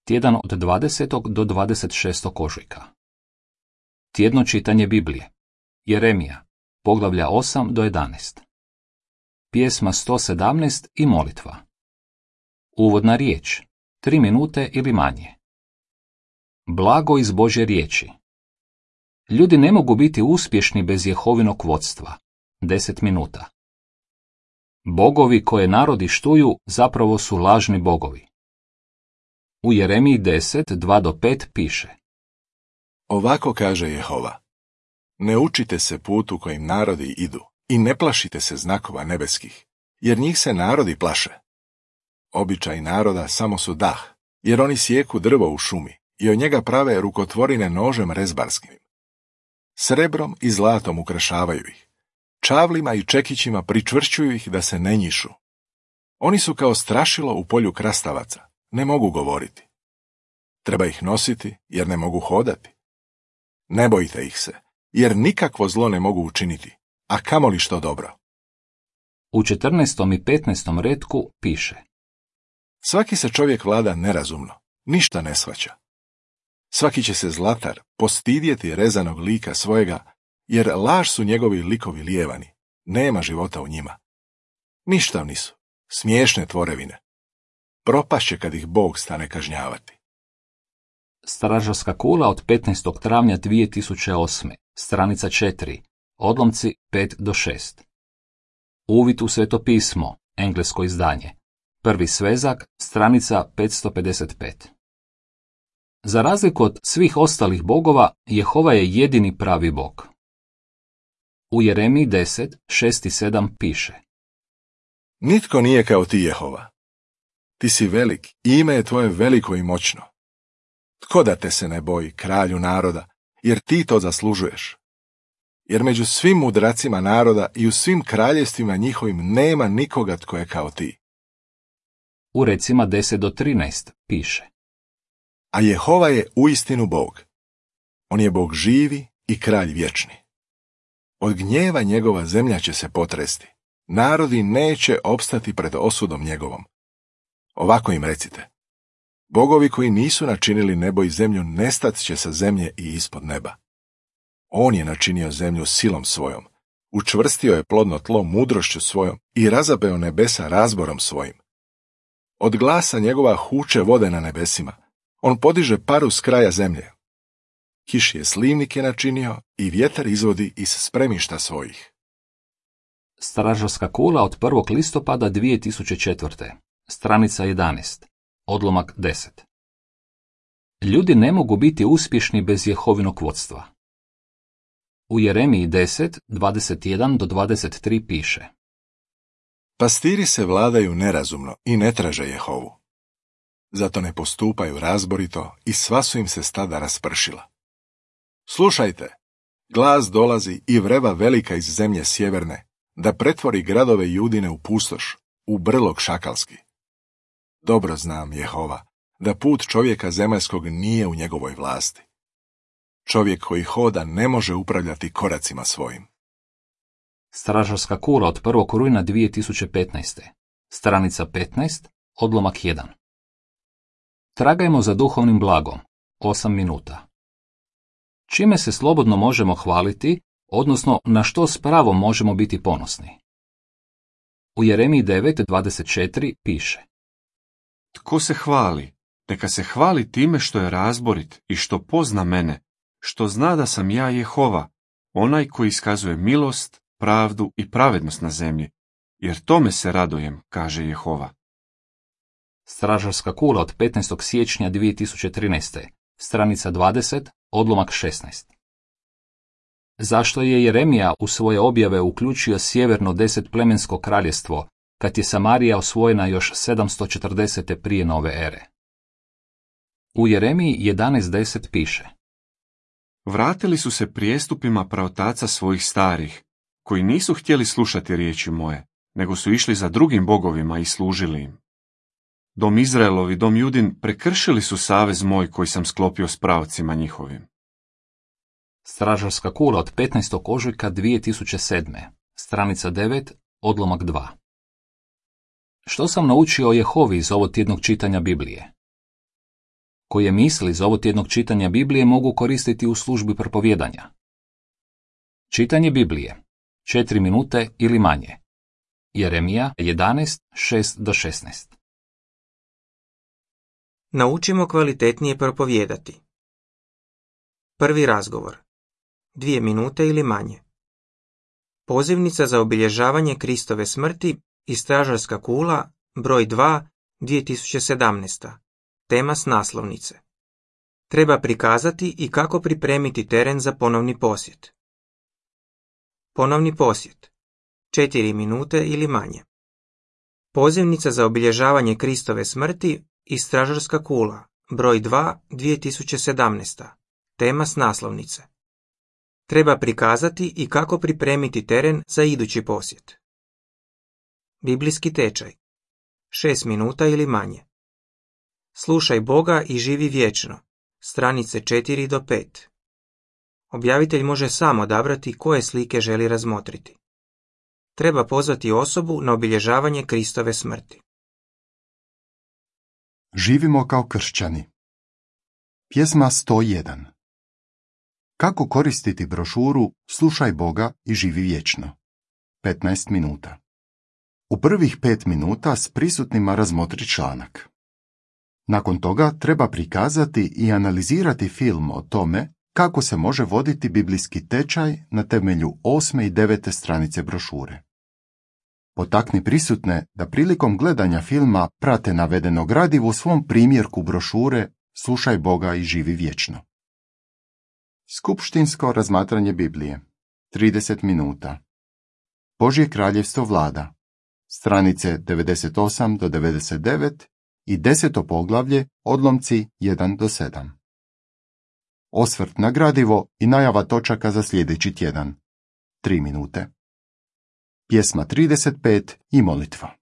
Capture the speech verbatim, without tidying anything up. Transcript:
Tjedan od dvadesetog do dvadeset šestog ožujka. Tjedno čitanje Biblije. Jeremija, poglavlja osam do jedanaest. Pjesma sto sedamnaest i molitva. Uvodna riječ, tri minute ili manje. Blago iz Božje riječi. Ljudi ne mogu biti uspješni bez Jehovinog vodstva. deset minuta. Bogovi koje narodi štuju zapravo su lažni bogovi. U Jeremiji deset, dva do pet piše: Ovako kaže Jehova: Ne učite se putu kojim narodi idu i ne plašite se znakova nebeskih, jer njih se narodi plaše. Običaj naroda samo su dah, jer oni sjeku drvo u šumi i od njega prave rukotvorine nožem rezbarskim. Srebrom i zlatom ukrašavaju ih, čavlima i čekićima pričvršćuju ih da se ne njišu. Oni su kao strašilo u polju krastavaca, ne mogu govoriti. Treba ih nositi, jer ne mogu hodati. Ne bojte ih se, jer nikakvo zlo ne mogu učiniti, a kamoli što dobro. U četrnaestom i petnaestom retku piše: Svaki se čovjek vlada nerazumno, ništa ne shvaća. Svaki će se zlatar postidjeti rezanog lika svojega, jer laž su njegovi likovi lijevani, nema života u njima. Ništavni su, smiješne tvorevine. Propašće kad ih Bog stane kažnjavati. Stražarska kula od petnaestog travnja dvije tisuće osme, stranica četiri, odlomci pet do šest. Uvid u Sveto pismo, englesko izdanje. Prvi svezak, stranica petsto pedeset pet. Za razliku od svih ostalih bogova, Jehova je jedini pravi Bog. U Jeremiji deset, šest i sedam piše: Nitko nije kao ti, Jehova. Ti si velik i ime je tvoje veliko i moćno. Tko da te se ne boji, kralju naroda, jer ti to zaslužuješ? Jer među svim mudracima naroda i u svim kraljevstvima njihovim nema nikoga tko je kao ti. U recima deset do trinaest piše: A Jehova je uistinu Bog. On je Bog živi i kralj vječni. Od gnjeva njegova zemlja će se potresti. Narodi neće opstati pred osudom njegovom. Ovako im recite: Bogovi koji nisu načinili nebo i zemlju nestat će sa zemlje i ispod neba. On je načinio zemlju silom svojom, učvrstio je plodno tlo mudrošću svojom i razabeo nebesa razborom svojim. Od glasa njegova huče vode na nebesima, on podiže paru s kraja zemlje. Kiš je slivnike načinio i vjetar izvodi iz spremišta svojih. Stražarska kula od prvog listopada dvije tisuće četvrte, stranica jedanaest, odlomak deset. Ljudi ne mogu biti uspješni bez Jehovinog vodstva. U Jeremiji deset, dvadeset jedan do dvadeset tri piše: Pastiri se vladaju nerazumno i ne traže Jehovu. Zato ne postupaju razborito i sva su im se stada raspršila. Slušajte, glas dolazi i vreba velika iz zemlje sjeverne, da pretvori gradove Judine u pustoš, u brlog šakalski. Dobro znam, Jehova, da put čovjeka zemaljskog nije u njegovoj vlasti. Čovjek koji hoda ne može upravljati koracima svojim. Stražarska kula od prvog rujna dvije tisuće petnaeste, stranica petnaest, odlomak jedan. Tragajmo za duhovnim blagom, osam minuta. Čime se slobodno možemo hvaliti, odnosno na što s pravom možemo biti ponosni? U Jeremiji devet, dvadeset četiri piše: Tko se hvali, neka se hvali time što je razborit i što pozna mene, što zna da sam ja Jehova, onaj koji iskazuje milost, pravdu i pravednost na zemlji, jer tome se radujem, kaže Jehova. Stražarska kula od petnaestog siječnja dvije tisuće trinaeste, stranica dvadeset, odlomak šesnaest. Zašto je Jeremija u svoje objave uključio sjeverno desetplemensko kraljestvo, kad je Samarija osvojena još sedamsto četrdesete prije nove ere? U Jeremiji jedanaest deset piše: Vratili su se prijestupima praotaca svojih starih, koji nisu htjeli slušati riječi moje, nego su išli za drugim bogovima i služili im. Dom Izraelov i dom Judin prekršili su savez moj koji sam sklopio s praocima njihovim. Stražarska kula od petnaestog ožujka dvije tisuće sedme, stranica devet, odlomak dva. Što sam naučio o Jehovi iz ovog tjednog čitanja Biblije? koje misli iz ovotjednog čitanja Biblije mogu koristiti u službi propovjedanja. Čitanje Biblije. četiri minute ili manje. Jeremija jedanaest, šest do šesnaest. Naučimo kvalitetnije propovijedati. Prvi razgovor. Dvije minute ili manje. Pozivnica za obilježavanje Kristove smrti i stražarska kula, broj dva, dvije tisuće sedamnaest. Tema s naslovnice. Treba prikazati i kako pripremiti teren za ponovni posjet. Ponovni posjet. četiri minute ili manje. Pozivnica za obilježavanje Kristove smrti i stražarska kula, broj dva, dvije tisuće sedamnaest. Tema s naslovnice. Treba prikazati i kako pripremiti teren za idući posjet. Biblijski tečaj. šest minuta ili manje. Slušaj Boga i živi vječno. Stranice četiri do pet. Objavitelj može sam odabrati koje slike želi razmotriti. Treba pozvati osobu na obilježavanje Kristove smrti. Živimo kao kršćani. Pjesma sto jedan. Kako koristiti brošuru Slušaj Boga i živi vječno? petnaest minuta. U prvih pet minuta s prisutnima razmotri članak. Nakon toga treba prikazati i analizirati film o tome kako se može voditi biblijski tečaj na temelju osme i devete stranice brošure. Potakni prisutne da prilikom gledanja filma prate navedeno gradivo u svom primjerku brošure Slušaj Boga i živi vječno. Skupštinsko razmatranje Biblije. trideset minuta. Božje kraljevstvo vlada. Stranice devedeset osam do devedeset devet i deseto poglavlje, odlomci jedan do sedam. Osvrt na gradivo i najava točaka za sljedeći tjedan. tri minute. Pjesma trideset pet i molitva.